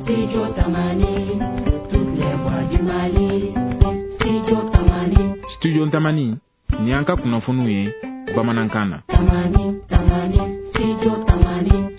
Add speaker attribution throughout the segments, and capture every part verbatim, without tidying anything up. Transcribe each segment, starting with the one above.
Speaker 1: Studio Tamani, toutes les voix du Mali. Studio Tamani.
Speaker 2: Studio Tamani, ni an ka kunnafoniw ye bamanankan na.
Speaker 1: Tamani, Tamani, Studio Tamani.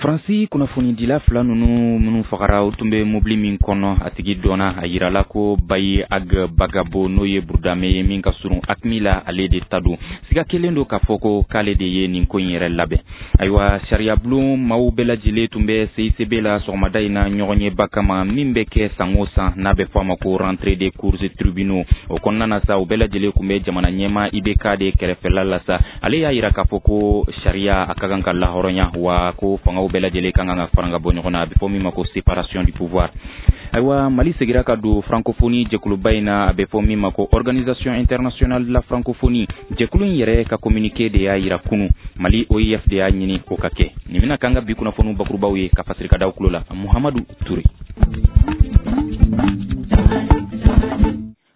Speaker 3: Faransi kunnafonidila fila ninnu minnu fagara, u tun bɛ mobili min kɔnɔ, a tigi dɔnna. A yirala ko Bayi Ag Bagabo, n'o ye Burudame ye min ka surun AQMI la, ale de ta don. Siga kelen don k'a fɔ ko k'ale de ye nin ko in yɛrɛ labɛn. Ayiwa, sariyabulon maaw bɛɛ lajɛlen tun bɛ C I C B la sɔgɔmada in na, ɲɔgɔn ɲɛba kama min bɛ kɛ san o san, n'a bɛ fɔ a ma ko rentrée des cours et tribunaux. O kɔnɔna na sa, u bɛɛ lajɛlen tun bɛ jamana ɲɛmaa I B K de kɛrɛfɛla la sa. Ale y'a yira k'a fɔ ko sariya a ka kan ka lahɔrɔnya, wa ko fangaw bɛɛ lajɛlen kan ka fara ka bɔ ɲɔgɔn na, a bɛ fɔ min ma ko séparation du pouvoir. Ayiwa, Mali segira ka don francophonie jɛkuluba in na, a bɛ fɔ min ma ko Organisation internationale de la francophonie. Jɛkulu in yɛrɛ ka communiqué de y'a yira kunu. Mali O I F de y'a ɲini o ka kɛ. Nin bɛna k'an ka bi kunnafoniw bakurubaw ye ka fasiri ka da tulo la, Muhamadu Ture.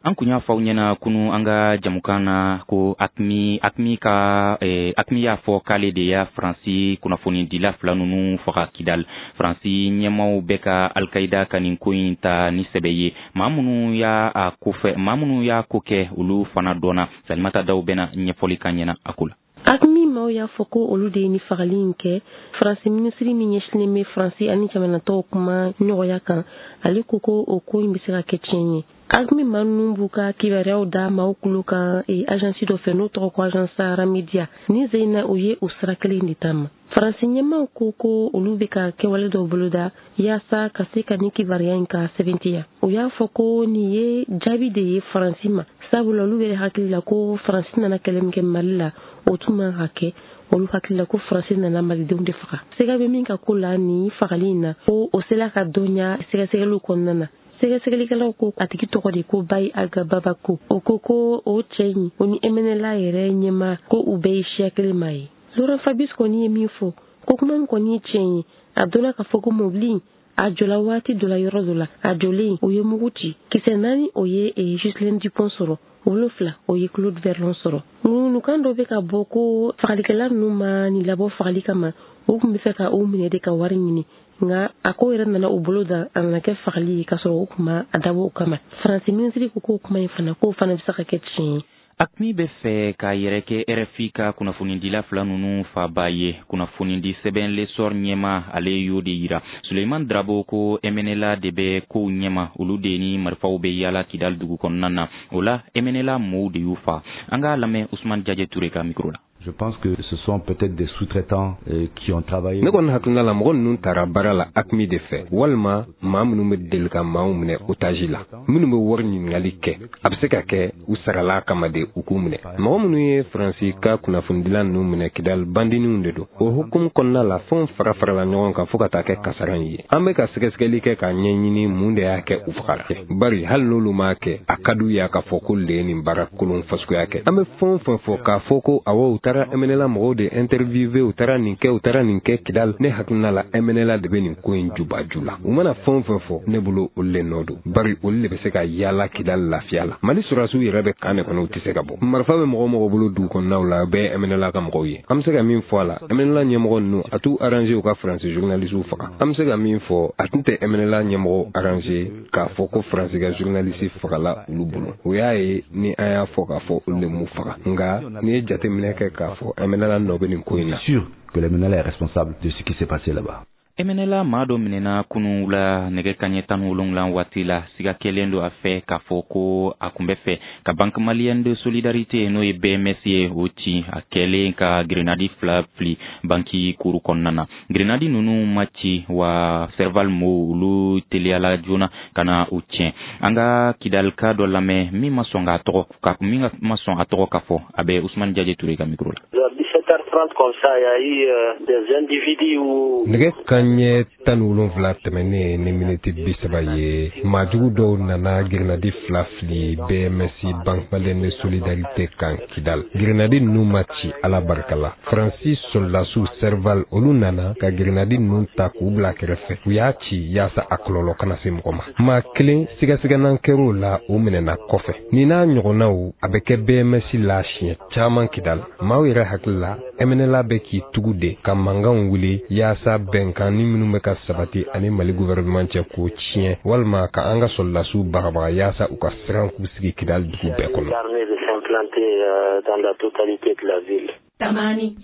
Speaker 3: An kun y'a fɔ aw ɲɛna kunu an ka jamukan na ko AQMI AQMI ka eh, AQMI y'a fɔ k'ale de y'a Faransi kunnafonidila fila ninnu faga Kidal. Faransi ɲɛmaw bɛ ka Alkaïda ka nin ko in ta ni sɛbɛ ye. Maa minnu y'a a ko fɛ, maa minnu y'a ko kɛ, olu fana dɔnna. Salimata Daw bɛna ɲɛfɔli kan ɲɛna a ko la.
Speaker 4: AQMI maaw y'a fɔ ko olu de ye ni fagali in kɛ. Faransi minisiri min ɲɛsinnen bɛ Faransi ani jamanatɔw kuma ɲɔgɔnya kan, ale ko ko o ko in bɛ se ka kɛ tiɲɛ ye. AQMI maa ninnu b'u ka kibaruyaw da maaw kulo kan agence dɔ fɛ, n'o tɔgɔ ko Agence Sahara Media. Ni sen na, u ye o sira kelen de taama. Faransi ɲɛmaw ko ko olu bɛ ka kɛwale dɔw boloda yaasa ka se ka ni kibaruya in ka sɛbɛntiya. U y'a fɔ ko nin ye jaabi de ye Faransi ma, sabula olu yɛrɛ hakili la ko Faransi nana kɛlɛ min kɛ Mali la, o tun man ka kɛ. Olu hakili la ko Faransi nana malidenw de faga. Sɛgɛ bɛ min ka ko la nin fagali in na, ko o sela ka dɔnya sɛgɛsɛgɛliw kɔnɔna na. Sɛgɛsɛgɛlikɛlaw ko a tigi tɔgɔ de ko Bayi Aga Babako. O ko ko o cɛ in, o ni M N L A yɛrɛ ɲɛma, ko u bɛɛ ye siya kelen maa ye. Laurent Fabius kɔni ye min fɔ, ko kuma min kɔni ye tiɲɛ ye, a dɔnna k'a fɔ ko mobili a jɔla waati dɔ la, yɔrɔ dɔ la, a jɔlen, o ye mugu ci. Kisɛ naani, o ye Ghislaine Dupont sɔrɔ, wolonfila, o ye Claude Verlon sɔrɔ. Ŋunukan dɔ bɛ ka bɔ ko fagalikɛla ninnu ma nin labɔ fagali kama, u tun bɛ fɛ ka o minɛ de ka wari ɲini, nka a ko yɛrɛ nana u bolo da, a nana kɛ fagali ye, k'a sɔrɔ o kuma a dabɔ o kama. Faransi minisiri ko k'o kuma in fana, k'o fana bɛ se ka kɛ tiɲɛ ye.
Speaker 3: AQMI bɛ fɛ k'a yɛrɛ kɛ R F I ka kunnafonidila fila ninnu faba ye. Kunnafonidi sɛbɛn L'Essor ɲɛma, ale y'o de yira. Suleiman Drabo ko M N L A de bɛ kow ɲɛma, olu de ni marifaw bɛ yaala Kidal dugu kɔnɔna na. O la, M N L A mɔɔw de y'u fa. An k'a lamɛn Usman Jaje Ture ka micro la.
Speaker 5: Je pense que ce sont peut-être des sous-traitants euh, qui ont travaillé.
Speaker 6: Ne kɔni hakilina la, mɔgɔ ninnu taara baara la AQMI de fɛ, walima maa minnu bɛ deli ka maaw minɛ otage la, minnu bɛ wari ɲininkali kɛ. A bɛ se ka kɛ u sarala kama de u k'u minɛ. Mɔgɔ minnu ye Faransi ka kunnafonidila ninnu minɛ Kidali, bandiniw de don. O hukumu kɔnɔna la, fɛnw fara farala ɲɔgɔn kan fo ka taa kɛ kasara in ye. An bɛ ka sɛgɛsɛgɛli kɛ k'a ɲɛɲini mun de y'a kɛ u fagara, bari hali n'olu m'a kɛ, a ka d'u ye k'a fɔ ko le ye nin baara kolon fasuguya kɛ. An bɛ fɛn o fɛn fɔ k'a fɔ ko awɔ, u taara M N L A mɔgɔw de interviewé, u taara nin kɛ, u taara nin kɛ Kidal, ne hakilina la, M N L A de bɛ nin ko in jubaju la. U mana fɛn o fɛn fɔ, ne bolo olu le nɔ don, bari olu de bɛ se ka yaala Kidal lafiya la. Mali sɔrɔdasiw yɛrɛ bɛ kan de kɔnɔ, u tɛ se ka bɔ. Marifa bɛ mɔgɔ mɔgɔ bolo dugu kɔnɔnaw la, bɛɛ ye M N L A ka mɔgɔw ye. An bɛ se ka min fɔ a la, M N L A ɲɛmɔgɔ ninnu, a t'u arrangé u ka Faransi journalistes faga. An bɛ se ka min fɔ, a tun tɛ M N L A ɲɛmɔgɔ arrangé k'a fɔ ko Faransi ka journaliste fagala olu bolo. O y'a ye ni an y'a fɔ k'a fɔ olu de m'u faga, nka n'i ye jateminɛ kɛ k'a fɔ M N L A nɔ bɛ nin ko in na.
Speaker 5: Sûr que le M N L A est responsable de ce qui s'est passé là-bas.
Speaker 3: M N L A maa dɔ minɛna kunun la nɛgɛ kaɲɛ tan ni wolonwula waati la. Siga kɛlen don a fɛ k'a fɔ ko a kun bɛ fɛ ka Banque malienne de solidarité, n'o ye B M S ye, o ci, a kɛlen ka grenadi fila fili banki kuru kɔnɔna na. Grenadi ninnu ma ci wa, Serval mo olu teliyala joona ka na u tiɲɛ. An ka Kidalika dɔ lamɛn min ma sɔn k'a tɔgɔ ka min ma sɔn a tɔgɔ ka fɔ. A bɛ Usumani Jaje Ture ka micro la.
Speaker 7: dix-sept heures trente comme ça, il y a eu euh, des individus où
Speaker 6: Nɛgɛ kanɲɛ tan ni wolonfila tɛmɛnen ni miniti bi saba ye, maajugu dɔw nana grenadi fila fili B M S, Banque malienne de solidarité kan Kidal. Grenadi ninnu ma ci, Ala barika la. Faransi sɔrɔdasiw Serval, olu nana ka grenadi ninnu ta k'u bila kɛrɛfɛ. U y'a ci yaasa a kɔlɔlɔ kana se mɔgɔ ma. Maa kelen sigasigɛnan kɛr'o la, o minɛna kɔfɛ. Nin n'a ɲɔgɔnnaw, a bɛ kɛ B M S la siɲɛ caman Kidal. Maaw yɛrɛ hakili la M N L A bɛ k'i tugu de ka mankanw wuli yaasa bɛnkan ni minnu bɛ ka sabati ani Mali gouvernement cɛ, k'o tiɲɛ, walima ka an ka sɔrɔdasiw bagabaga yaasa u ka siran k'u sigi Kidali dugu bɛɛ kɔnɔ.
Speaker 7: L'armée de s'implanter euh, dans la totalité de la ville.
Speaker 1: Tamani.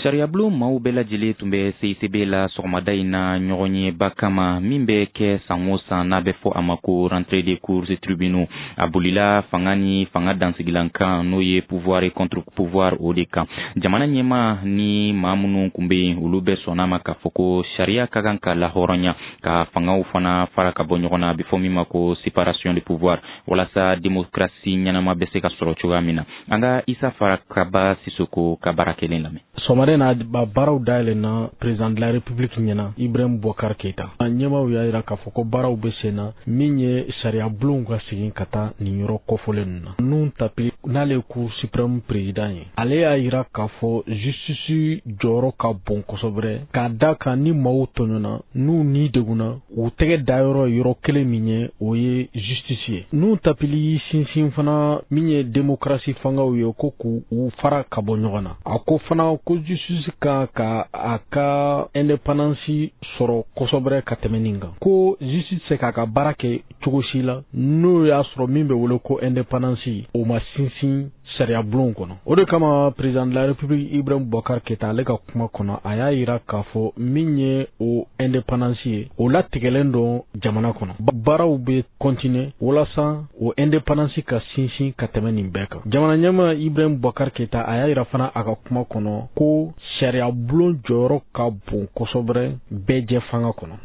Speaker 3: Sariyabulon maaw bɛɛ lajɛlen tun bɛ C I C B la sɔgɔmada in na, ɲɔgɔn yeba kama min bɛ kɛ san o san, n'a bɛ fɔ a ma ko rentrée des cours et tribunaux. A bolila fanga ni fanga dansigilan kan, n'o ye pouvoir et contre pouvoir, o de kan. Jamana ɲɛma ni maa minnu tun bɛ yen, olu bɛɛ sɔnna ma k'a fɔ ko sariya ka kan ka lahɔrɔnya, ka fangaw fana fara ka bɔ ɲɔgɔn na, a bɛ fɔ min ma ko séparation de pouvoir, walasa démocratie ɲɛnama bɛ se ka sɔrɔ cogoya min na. An ka Isa Farakaba Sisoko ka baara kelen lamɛn.
Speaker 8: Sɔgɔmada in na, ba baaraw dayɛlɛnna président de la République ɲɛna, Ibrahim Boubacar Keita. A ɲɛmaw y'a yira k'a fɔ ko baaraw bɛ sen na, min ye sariya bulonw ka segin ka taa nin yɔrɔ kɔfɔlen ninnu na. Nouhoum Tapily, n'ale ye Cour suprême président ye, ale y'a yira k'a fɔ justice jɔyɔrɔ ka bon kosɛbɛ, k'a da kan ni maaw tɔɲɔna, n'u ni degunna, u tɛgɛ dayɔrɔ ye yɔrɔ kelen min ye, o ye justice ye. Nouhoum Tapily y'i sinsin fana min ye démocratie fangaw ye, ko k'u u fara ka bɔ ɲɔgɔn na. A ko fana ko justice kan ka a ka indépendance sɔrɔ kosɛbɛ ka tɛmɛ nin kan, ko justice se k'a ka baara kɛ cogo si la n'o y'a sɔrɔ min bɛ wele ko indépendance, o ma sinsin sariya bulonw kɔnɔ. O de kama, président de la République Ibrahim Boubacar Keita, ale ka kuma kɔnɔ, a y'a yira k'a fɔ min ye o indépendance ye, o latigɛlen don jamana kɔnɔ. Baaraw bɛ continuer walasa o indépendance ka sinsin ka tɛmɛ nin bɛɛ kan. Jamana ɲɛmaa Ibrahim Boubacar Keita, a y'a yira fana a ka kuma kɔnɔ ko sariya bulon jɔyɔrɔ ka bon kosɛbɛ bɛɛ jɛ fanga kɔnɔ.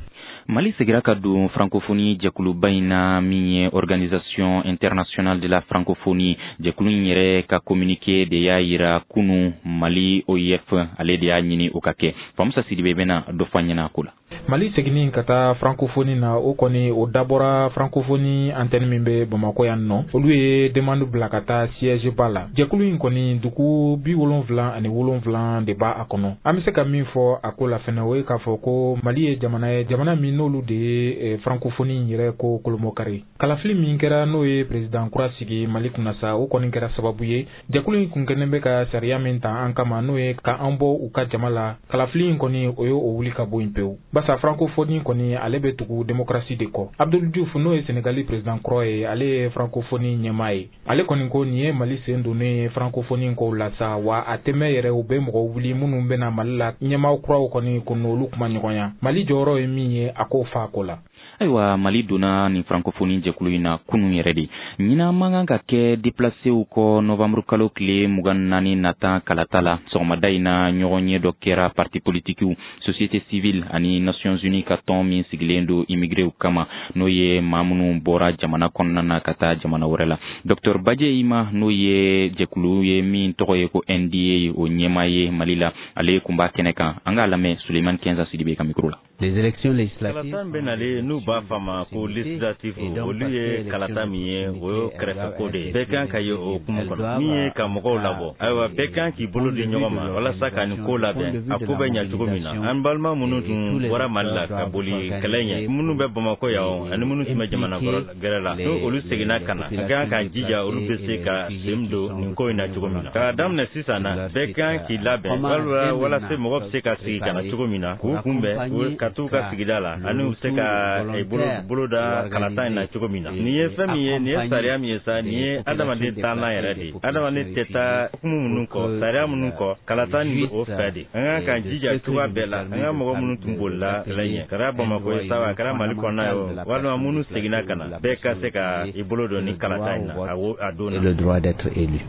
Speaker 3: Mali segira ka don francophonie jɛkuluba in na, min ye Organisation internationale de la francophonie. Jɛkulu in yɛrɛ ka communiqué de y'a yira kunu. Mali O I F, ale de y'a ɲini o ka kɛ. Famusa Sidibe bɛna dɔ fɔ an ɲɛna ko la.
Speaker 2: Mali seginni ka taa francophonie na, o kɔni o dabɔra francophonie antenne min bɛ Bamakɔ yan nɔ, olu ye demande bila ka taa siège ba la. Jɛkulu in kɔni, dugu bi wolonfila ani wolonfila de b'a a kɔnɔ. An bɛ se ka min fɔ a ko la fɛnɛ, o ye k'a fɔ ko Mali ye jamana ye, jamana min n'olu de ye francophonie in yɛrɛ ko kolomɔkari. Kalafili min kɛra, n'o ye président kura sigi Mali kunna sa, o kɔni kɛra sababu ye jɛkulu in kun kɛlen bɛ ka sariya min ta an kama, n'o ye ka an bɔ u ka jama la, kalafili in kɔni, o ye o wuli ka bɔ yen pewu, basa francophonie kɔni, ale bɛ tugu démocratie de kɔ. Abdul Diouf, n'o ye Senegali président kɔrɔ ye, ale ye francophonie ɲɛmaa ye. Ale kɔni ko nin ye Mali sen donnen ye francophonie kow la sa, wa a tɛ mɛn yɛrɛ, u bɛ mɔgɔ wuli minnu bɛna Mali la ɲɛmaa kuraw kɔni ko n'olu kuma ɲɔgɔnya. Mali jɔyɔrɔ ye min ye, a k'o fa ko la.
Speaker 3: Ayiwa, Mali donna nin francophonie jɛkulu in na kunun yɛrɛ de. Ɲinan man kan ka kɛ déplacéw kɔ novembre kalo tile mugan naani nata kalata la. Sɔgɔmada in na, ɲɔgɔn ye dɔ kɛra parti politikiw, société civile ani Nations Unies ka tɔn min sigilen don immigréw kama, n'o ye maa minnu bɔra jamana kɔnɔna na ka taa jamana wɛrɛ la. Docteur Badje Ima, n'o ye jɛkulu ye min tɔgɔ ye ko N D A, o ɲɛmaa ye Mali la, ale kun b'a kɛnɛ kan. An k'a lamɛn Suleiman Kenza Sidibe ka micro la.
Speaker 9: Les élections législatives.
Speaker 10: Kalata bɛ nalen, n'u b'a f'a ma ko législative, olu ye kalata min ye, o ye kɛrɛfɛko de ye. Bɛɛ kan ka ye o hukumu kɔnɔ min ye ka mɔgɔw labɔ. Ayiwa, bɛɛ kan k'i bolo di ɲɔgɔn ma walasa ka nin ko labɛn, a ko bɛ ɲɛ cogo min na. An balima minnu tun bɔra Mali la ka boli kɛlɛ ɲɛ, minnu bɛ Bamakɔ yan ani minnu tun bɛ jamana gɛrɛ la, n'o olu seginna ka na, a kan ka jija olu bɛ se ka sen don nin ko in na cogo min na. K'a daminɛ sisan na, bɛɛ kan k'i labɛn walima walasa mɔgɔ bɛ se ka sigi ka na cogo min na k'u kunbɛn ka t'u ka sigida la, ani u bɛ se ka bolo bolo da kalata in na cogo min na. Nin ye fɛn min ye, nin ye sariya min ye sa, nin ye adamaden taalan yɛrɛ de ye. Adamaden tɛ taa hukumu minnu kɔ, sariya minnu kɔ, kalata nin o fɛ de. An kan ka jija cogoya bɛɛ la, an ka mɔgɔ minnu tun bolila kɛlɛ ɲɛ, kɛra Bamakɔ ye sa, a kɛra Mali kɔnɔna ye o, walima minnu seginna ka na, bɛɛ ka se ka i bolo don nin kalata in na a don na.
Speaker 9: Le droit d'être élu.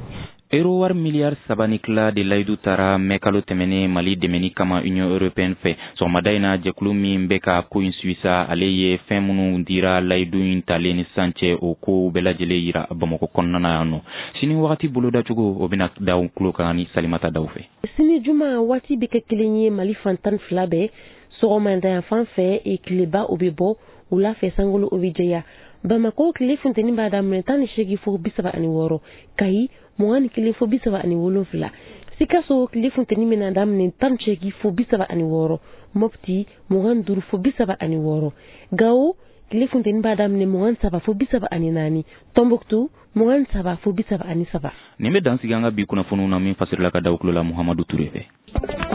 Speaker 3: Euro wari miliyari saba ni tila de layidu tara mɛ kalo tɛmɛnen Mali dɛmɛni kama Union européenne fɛ. Sɔgɔmada in na, jɛkulu min bɛ ka ko in suisa, ale ye fɛn minnu dira layidu in talen ni sisan cɛ, o kow bɛɛ lajɛlen yira Bamakɔ kɔnɔna na yan nɔ. Sini wagati bolodacogo, o bɛna da tulo kan ni Salimata Daw fɛ.
Speaker 4: Sini juma, waati bɛ kɛ kelen ye Mali fan tan ni fila bɛɛ. Sɔgɔmada yan fan fɛ, tileba o bɛ bɔ, wula fɛ sankolo o bɛ jɛya. Bamakɔ, tile funteni b'a daminɛ tan ni seegin fo bi saba ani wɔɔrɔ, Kayi mugan ni kelen fo bi saba ani wolonfila, Sikaso tile funteni bɛna daminɛ tan ni seegin fo bi saba ani wɔɔrɔ, Mopti mugan ni duuru fo bi saba ani wɔɔrɔ, Gawo Tile funteni b'a daminɛ mugan saba fo bi saba ani naani, Tombouctou mugan saba fo bi saba ani saba.
Speaker 3: Nin bɛ dan sigi an ka bi kunnafoniw na min fasirila ka da u tulo la Muhamadu Ture fɛ.